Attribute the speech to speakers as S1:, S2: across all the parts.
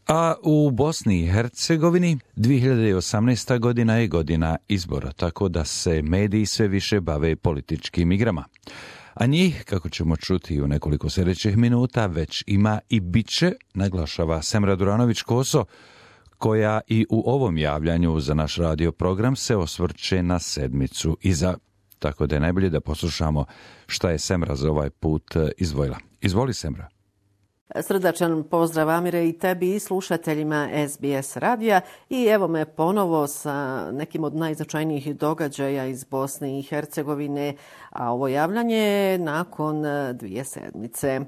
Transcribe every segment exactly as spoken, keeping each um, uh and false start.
S1: A u Bosni i Hercegovini dvije hiljade osamnaesta. godina je godina izbora, tako da se mediji sve više bave političkim igrama. A njih, kako ćemo čuti u nekoliko sljedećih minuta, već ima i biće, naglašava Semra Duranović-Koso, koja i u ovom javljanju za naš radio program se osvrće na sedmicu iza. Tako da je najbolje da poslušamo šta je Semra za ovaj put izdvojila. Izvoli, Semra.
S2: Srdačan pozdrav, Amire, i tebi i slušateljima S B S radija. I evo me ponovo sa nekim od najznačajnijih događaja iz Bosne i Hercegovine, a ovo javljanje je nakon dvije sedmice.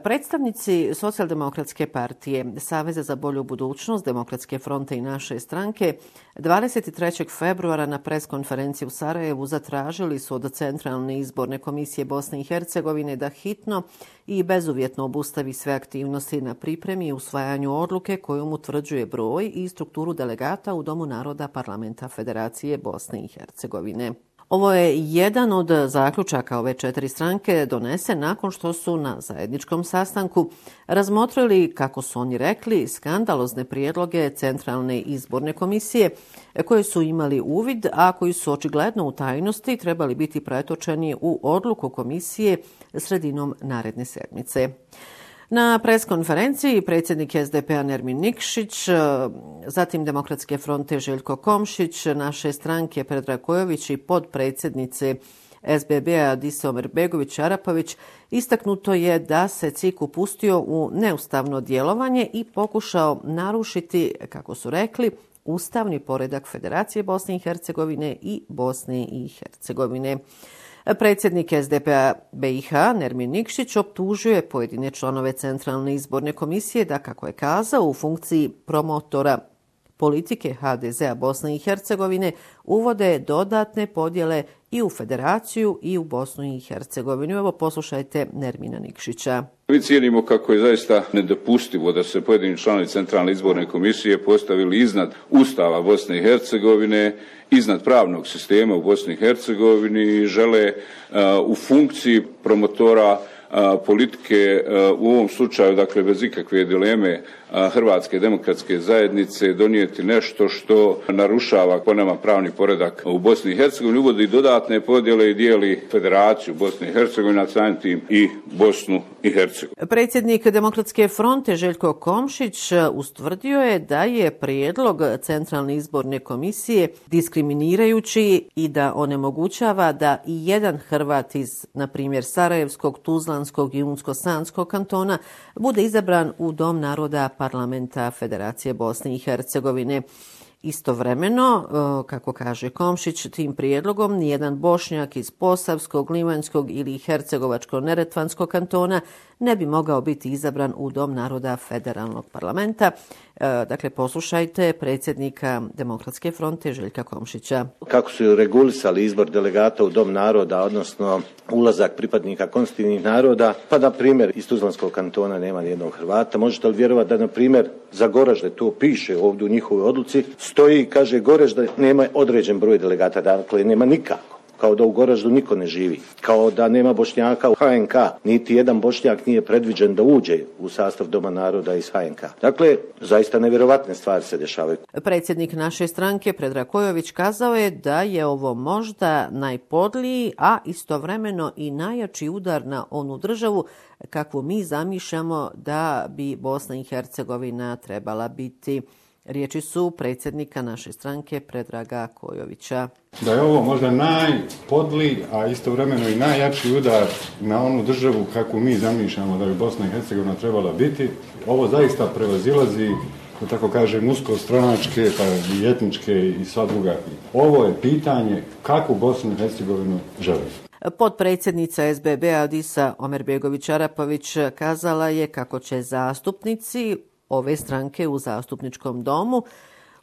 S2: Predstavnici Socijaldemokratske partije, Saveza za bolju budućnost, Demokratske fronte i naše stranke dvadeset trećeg februara na preskonferenciji u Sarajevu zatražili su od Centralne izborne komisije Bosne i Hercegovine da hitno i bezuvjetno obustavi sve aktivnosti na pripremi i usvajanju odluke kojom utvrđuje broj i strukturu delegata u Domu naroda Parlamenta Federacije Bosne i Hercegovine. Ovo je jedan od zaključaka ove četiri stranke donesen nakon što su na zajedničkom sastanku razmotrili, kako su oni rekli, skandalozne prijedloge Centralne izborne komisije koje su imali uvid, a koji su očigledno u tajnosti trebali biti pretočeni u odluku komisije sredinom naredne sedmice. Na preskonferenciji predsjednik S D P-a Nermin Nikšić, zatim Demokratske fronte Željko Komšić, naše stranke Predrag Kojović i podpredsjednice S B B-a Adisa Omerbegović-Arapović istaknuto je da se C I K upustio u neustavno djelovanje i pokušao narušiti, kako su rekli, ustavni poredak Federacije Bosne i Hercegovine i Bosne i Hercegovine. Predsjednik S D P-a B i H Nermin Nikšić optužuje pojedine članove Centralne izborne komisije da, kako je kazao, u funkciji promotora politike H D Z-a Bosne i Hercegovine uvode dodatne podjele i u Federaciju i u Bosnu i Hercegovinu. Evo poslušajte Nermina Nikšića.
S3: Mi cijenimo kako je zaista nedopustivo da se pojedini članovi Centralne izborne komisije postavili iznad Ustava Bosne i Hercegovine, iznad pravnog sistema u Bosni i Hercegovini i žele uh, u funkciji promotora uh, politike uh, u ovom slučaju, dakle bez ikakve dileme, uh, Hrvatske demokratske zajednice donijeti nešto što narušava po nama pravni poredak u Bosni i Hercegovini, uvodi dodatne podjele i dijeli Federaciju Bosne i Hercegovine, a samim tim i Bosnu i Hercegovinu.
S2: Predsjednik Demokratske fronte Željko Komšić ustvrdio je da je prijedlog Centralne izborne komisije diskriminirajući i da onemogućava da i jedan Hrvat iz, na primjer, Sarajevskog, Tuzlanskog i Unsko-Sanskog kantona bude izabran u Dom naroda Parlamenta Federacije Bosne i Hercegovine. Istovremeno, kako kaže Komšić, tim prijedlogom nijedan Bošnjak iz Posavskog, Livanjskog ili Hercegovačko-Neretvanskog kantona ne bi mogao biti izabran u Dom naroda Federalnog parlamenta. Dakle, poslušajte predsjednika Demokratske fronte Željka Komšića.
S4: Kako su regulisali izbor delegata u Dom naroda, odnosno ulazak pripadnika konstitutivnih naroda, pa na primjer iz Tuzlanskog kantona nema nijednog Hrvata. Možete li vjerovati da na primjer za Goražde, to piše ovdje u njihovoj odluci, stoji, kaže Goražde nema određen broj delegata, dakle nema nikako. Kao da u Goraždu niko ne živi, kao da nema Bošnjaka u H N K, niti jedan Bošnjak nije predviđen da uđe u sastav Doma naroda iz H N K. Dakle, zaista nevjerovatne stvari se dešavaju.
S2: Predsjednik naše stranke Predrag Kojović kazao je da je ovo možda najpodliji, a istovremeno i najjači udar na onu državu kakvu mi zamišljamo da bi Bosna i Hercegovina trebala biti. Riječi su predsjednika naše stranke Predraga Kojovića.
S5: Da je ovo možda najpodliji, a istovremeno i najjači udar na onu državu kako mi zamišljamo da bi Bosna i Hercegovina trebala biti. Ovo zaista prevazilazi, da tako kažem, uskostranačke pa i etničke i sva druga. Ovo je pitanje kako Bosnu i Hercegovinu želi.
S2: Potpredsjednica S B B-a Adisa Omerbegović-Arapović kazala je kako će zastupnici ove stranke u zastupničkom domu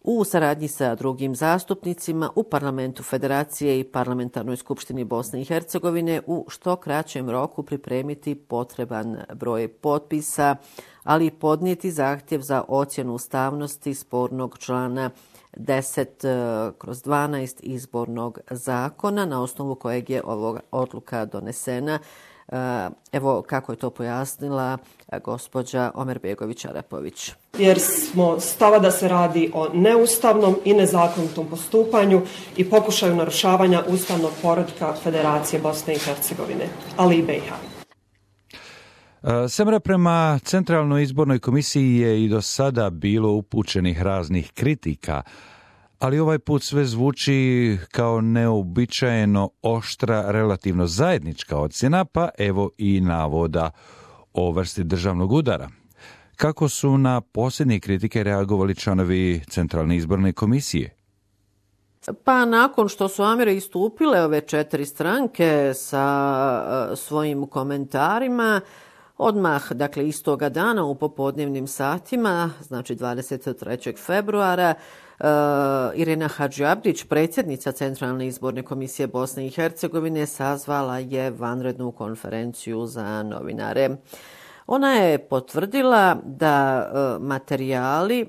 S2: u saradnji sa drugim zastupnicima u Parlamentu Federacije i Parlamentarnoj skupštini Bosne i Hercegovine u što kraćem roku pripremiti potreban broj potpisa, ali i podnijeti zahtjev za ocjenu ustavnosti spornog člana deset kroz dvanaest izbornog zakona na osnovu kojeg je ova odluka donesena. Evo kako je to pojasnila gospođa Omerbegović-Arapović.
S6: Jer smo stava da se radi o neustavnom i nezakonitom postupanju i pokušaju narušavanja ustavnog poretka Federacije Bosne i Hercegovine, ali i B i H.
S1: Semra, prema Centralnoj izbornoj komisiji je i do sada bilo upućenih raznih kritika, ali ovaj put sve zvuči kao neobičajeno oštra, relativno zajednička ocjena, pa evo i navoda o vrsti državnog udara. Kako su na posljednje kritike reagovali članovi Centralne izborne komisije?
S2: Pa nakon što su Amire istupile ove četiri stranke sa svojim komentarima, odmah, dakle istoga dana u popodnevnim satima, znači dvadeset trećeg februara, Uh, Irena Hadžiabdić, predsjednica Centralne izborne komisije Bosne i Hercegovine, sazvala je vanrednu konferenciju za novinare. Ona je potvrdila da uh, materijali uh,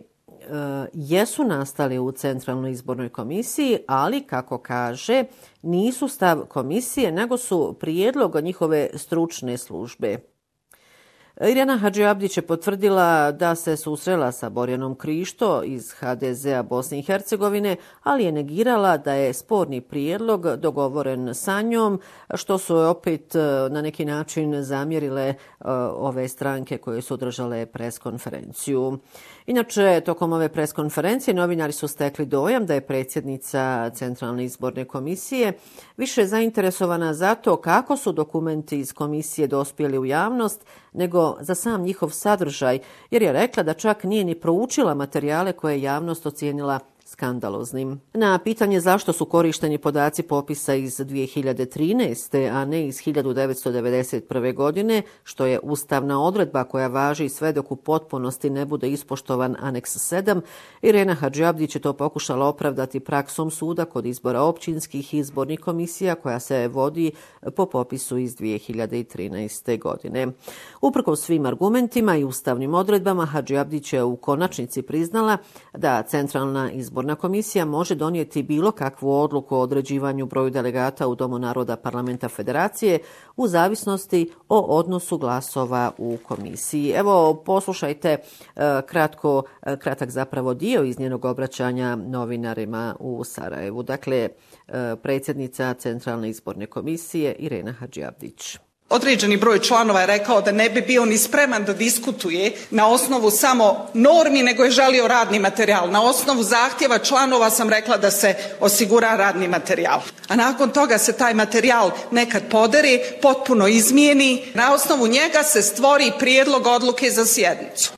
S2: jesu nastali u Centralnoj izbornoj komisiji, ali, kako kaže, nisu stav komisije, nego su prijedlog njihove stručne službe. Irena Hadžiabdić je potvrdila da se susrela sa Borjanom Krišto iz ha de zea Bosne i Hercegovine, ali je negirala da je sporni prijedlog dogovoren sa njom, što su opet na neki način zamjerile ove stranke koje su održale preskonferenciju. Inače, tokom ove preskonferencije novinari su stekli dojam da je predsjednica Centralne izborne komisije više zainteresovana za to kako su dokumenti iz komisije dospjeli u javnost, nego za sam njihov sadržaj, jer je rekla da čak nije ni proučila materijale koje je javnost ocijenila skandaloznim. Na pitanje zašto su korišteni podaci popisa iz dvije hiljade trinaeste. a ne iz hiljadu devetsto devedeset prve. godine, što je ustavna odredba koja važi sve dok u potpunosti ne bude ispoštovan aneks sedam, Irena Hadžiabdić je to pokušala opravdati praksom suda kod izbora općinskih izbornih komisija koja se vodi po popisu iz dvije hiljade trinaeste. godine. Uprkos svim argumentima i ustavnim odredbama, Hadžiabdić je u konačnici priznala da Centralna izborna komisija može donijeti bilo kakvu odluku o određivanju broju delegata u Domu naroda Parlamenta Federacije u zavisnosti o odnosu glasova u komisiji. Evo, poslušajte kratko, kratak zapravo dio iz njenog obraćanja novinarima u Sarajevu. Dakle, predsjednica Centralne izborne komisije Irena Hadžiabdić.
S7: Određeni broj članova je rekao da ne bi bio ni spreman da diskutuje na osnovu samo normi, nego je želio radni materijal. Na osnovu zahtjeva članova sam rekla da se osigura radni materijal. A nakon toga se taj materijal nekad poderi, potpuno izmijeni. Na osnovu njega se stvori prijedlog odluke za sjednicu.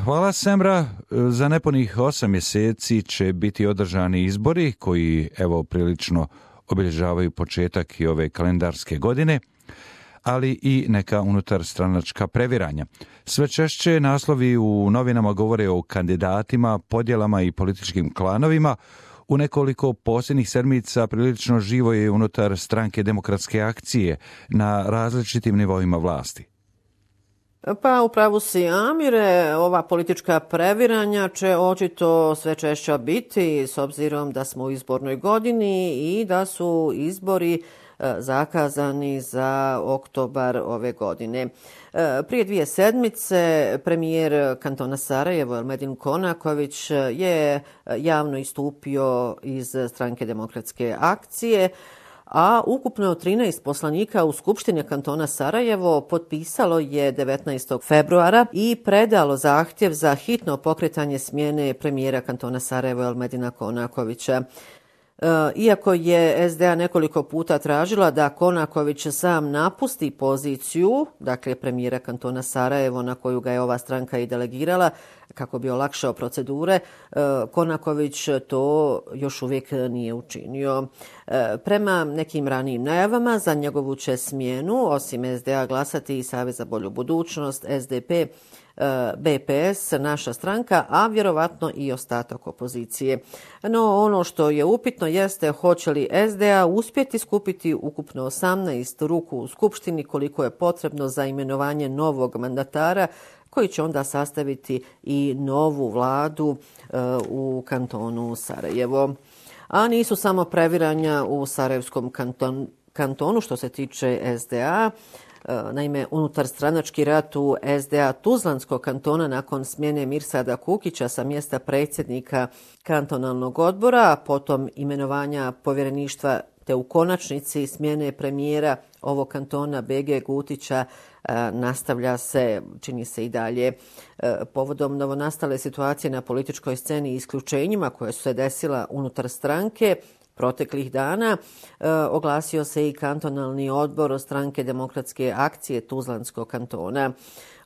S1: Hvala, Semra. Za nepunih osam mjeseci će biti održani izbori koji, evo, prilično obilježavaju početak i ove kalendarske godine, ali i neka unutarstranačka previranja. Sve češće naslovi u novinama govore o kandidatima, podjelama i političkim klanovima. U nekoliko posljednjih sedmica prilično živo je unutar stranke Demokratske akcije na različitim nivoima vlasti.
S2: Pa upravo si, Amire, ova politička previranja će očito sve češća biti s obzirom da smo u izbornoj godini i da su izbori zakazani za oktobar ove godine. Prije dvije sedmice premijer kantona Sarajevo Elmedin Konaković je javno istupio iz stranke Demokratske akcije, a ukupno trinaest poslanika u Skupštini kantona Sarajevo potpisalo je devetnaestog februara i predalo zahtjev za hitno pokretanje smjene premijera kantona Sarajevo Elmedina Konakovića. Iako je es de a nekoliko puta tražila da Konaković sam napusti poziciju, dakle premijera kantona Sarajevo na koju ga je ova stranka i delegirala kako bi olakšao procedure, Konaković to još uvijek nije učinio. Prema nekim ranijim najavama za njegovu će smjenu, osim es de a, glasati i Savez za bolju budućnost, es de pe, be pe es, naša stranka, a vjerovatno i ostatak opozicije. No ono što je upitno jeste hoće li es de a uspjeti skupiti ukupno osamnaest ruku u Skupštini koliko je potrebno za imenovanje novog mandatara koji će onda sastaviti i novu vladu uh, u kantonu Sarajevo. A nisu samo previranja u Sarajevskom kantonu. kantonu što se tiče S D A. Naime, unutar stranački rat u S D A Tuzlanskog kantona nakon smjene Mirsada Kukića sa mjesta predsjednika kantonalnog odbora, a potom imenovanja povjereništva te u konačnici smjene premijera ovog kantona B G Gutića nastavlja se, čini se i dalje. Povodom novonastale situacije na političkoj sceni i isključenjima koje su se desila unutar stranke, proteklih dana e, oglasio se i kantonalni odbor stranke Demokratske akcije Tuzlanskog kantona.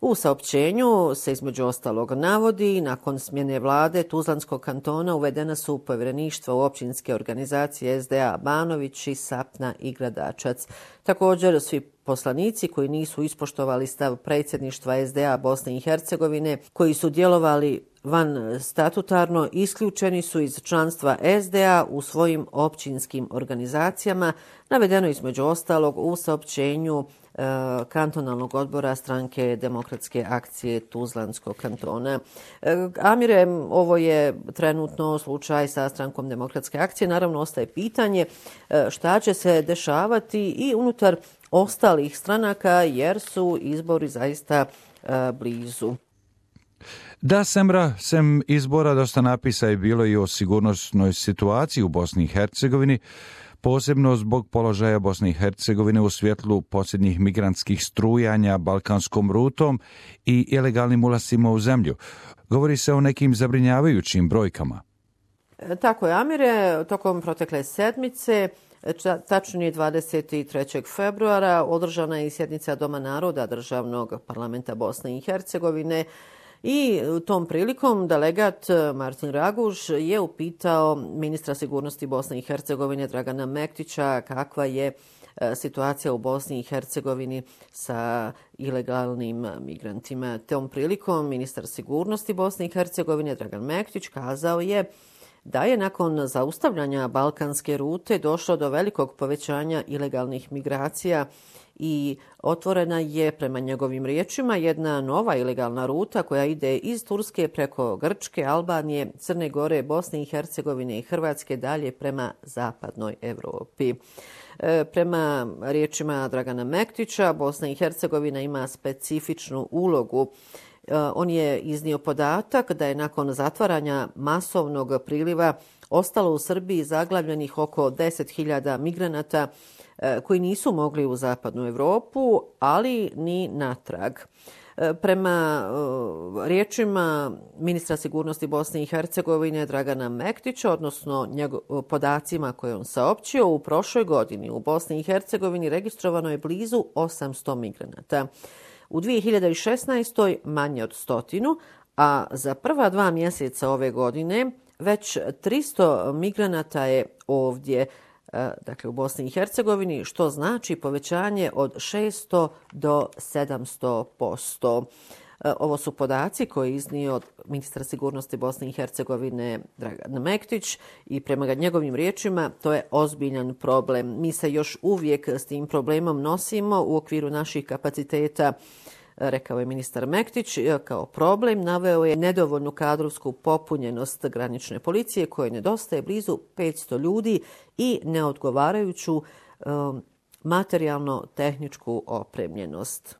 S2: U saopćenju se između ostalog navodi, nakon smjene vlade Tuzlanskog kantona uvedena su povjereništva u općinske organizacije S D A Banovići, Sapna i Gradačac. Također svi poslanici koji nisu ispoštovali stav predsjedništva S D A Bosne i Hercegovine, koji su djelovali van statutarno, isključeni su iz članstva S D A u svojim općinskim organizacijama, navedeno između ostalog u saopćenju e, kantonalnog odbora stranke Demokratske akcije Tuzlanskog kantona. E, Amire, ovo je trenutno slučaj sa strankom Demokratske akcije. Naravno, ostaje pitanje e, šta će se dešavati i unutar ostalih stranaka, jer su izbori zaista e, blizu.
S1: Da, Semra, sem izbora dosta napisa je bilo i o sigurnosnoj situaciji u Bosni i Hercegovini, posebno zbog položaja Bosne i Hercegovine u svjetlu posljednjih migrantskih strujanja balkanskom rutom i ilegalnim ulascima u zemlju. Govori se o nekim zabrinjavajućim brojkama.
S2: Tako je, Amire, tokom protekle sedmice, tačnije dvadeset trećeg februara, održana je i sjednica Doma naroda Državnog parlamenta Bosne i Hercegovine. I tom prilikom delegat Martin Raguž je upitao ministra sigurnosti Bosne i Hercegovine Dragana Mektića kakva je situacija u Bosni i Hercegovini sa ilegalnim migrantima. Tom prilikom ministar sigurnosti Bosne i Hercegovine Dragan Mektić kazao je da je nakon zaustavljanja balkanske rute došlo do velikog povećanja ilegalnih migracija i otvorena je, prema njegovim riječima, jedna nova ilegalna ruta koja ide iz Turske preko Grčke, Albanije, Crne Gore, Bosne i Hercegovine i Hrvatske dalje prema zapadnoj Europi. E, prema riječima Dragana Mektića, Bosna i Hercegovina ima specifičnu ulogu. E, on je iznio podatak da je nakon zatvaranja masovnog priliva ostalo u Srbiji zaglavljenih oko deset hiljada migranata koji nisu mogli u zapadnu Europu, ali ni natrag. Prema riječima ministra sigurnosti Bosne i Hercegovine Dragana Mektića, odnosno njegov, podacima koje on saopćio, u prošloj godini u Bosni i Hercegovini registrovano je blizu osamsto migranata. U dvije hiljade šesnaestoj manje od stotinu, a za prva dva mjeseca ove godine već tristo migranata je ovdje, dakle u Bosni i Hercegovini, što znači povećanje od šesto do sedamsto posto. Ovo su podaci koje je iznio ministar sigurnosti Bosne i Hercegovine Dragan Mektić i prema njegovim riječima to je ozbiljan problem. Mi se još uvijek s tim problemom nosimo u okviru naših kapaciteta, rekao je ministar Mektić. Kao problem naveo je nedovoljnu kadrovsku popunjenost granične policije koje nedostaje blizu petsto ljudi i neodgovarajuću um, materijalno-tehničku opremljenost.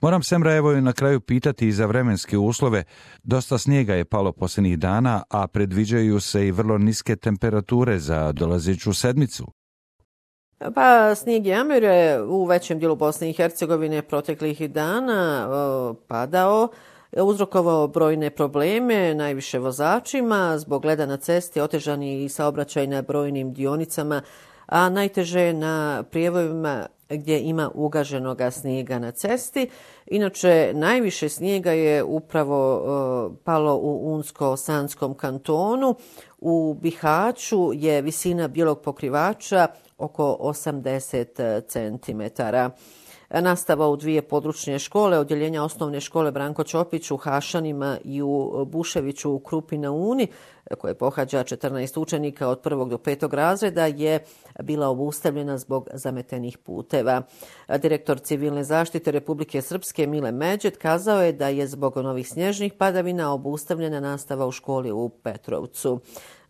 S1: Moram Semra evo na kraju pitati i za vremenske uslove. Dosta snijega je palo posljednjih dana, a predviđaju se i vrlo niske temperature za dolazeću sedmicu.
S2: Pa snijeg je Amire u većem dijelu Bosne i Hercegovine proteklih dana o, padao, uzrokovao brojne probleme, najviše vozačima, zbog leda na cesti otežani i saobraćaj na brojnim dionicama, a najteže na prijevojima gdje ima ugaženoga snijega na cesti. Inače, najviše snijega je upravo uh, palo u Unsko-Sanskom kantonu. U Bihaću je visina bijelog pokrivača oko osamdeset centimetara. Nastava u dvije područne škole, odjeljenja osnovne škole Branko Ćopić u Hašanima i u Buševiću u Krupi na Uni, koje pohađa četrnaest učenika od prvog do petog razreda, je bila obustavljena zbog zametenih puteva. Direktor civilne zaštite Republike Srpske Mile Međet kazao je da je zbog novih snježnih padavina obustavljena nastava u školi u Petrovcu.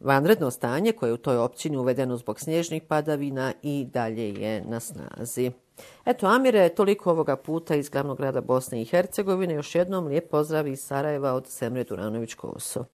S2: Vanredno stanje koje je u toj općini uvedeno zbog snježnih padavina i dalje je na snazi. Eto, Amire, toliko ovoga puta iz glavnog grada Bosne i Hercegovine. Još jednom lijep pozdrav iz Sarajeva od Semre Duranović-Koso.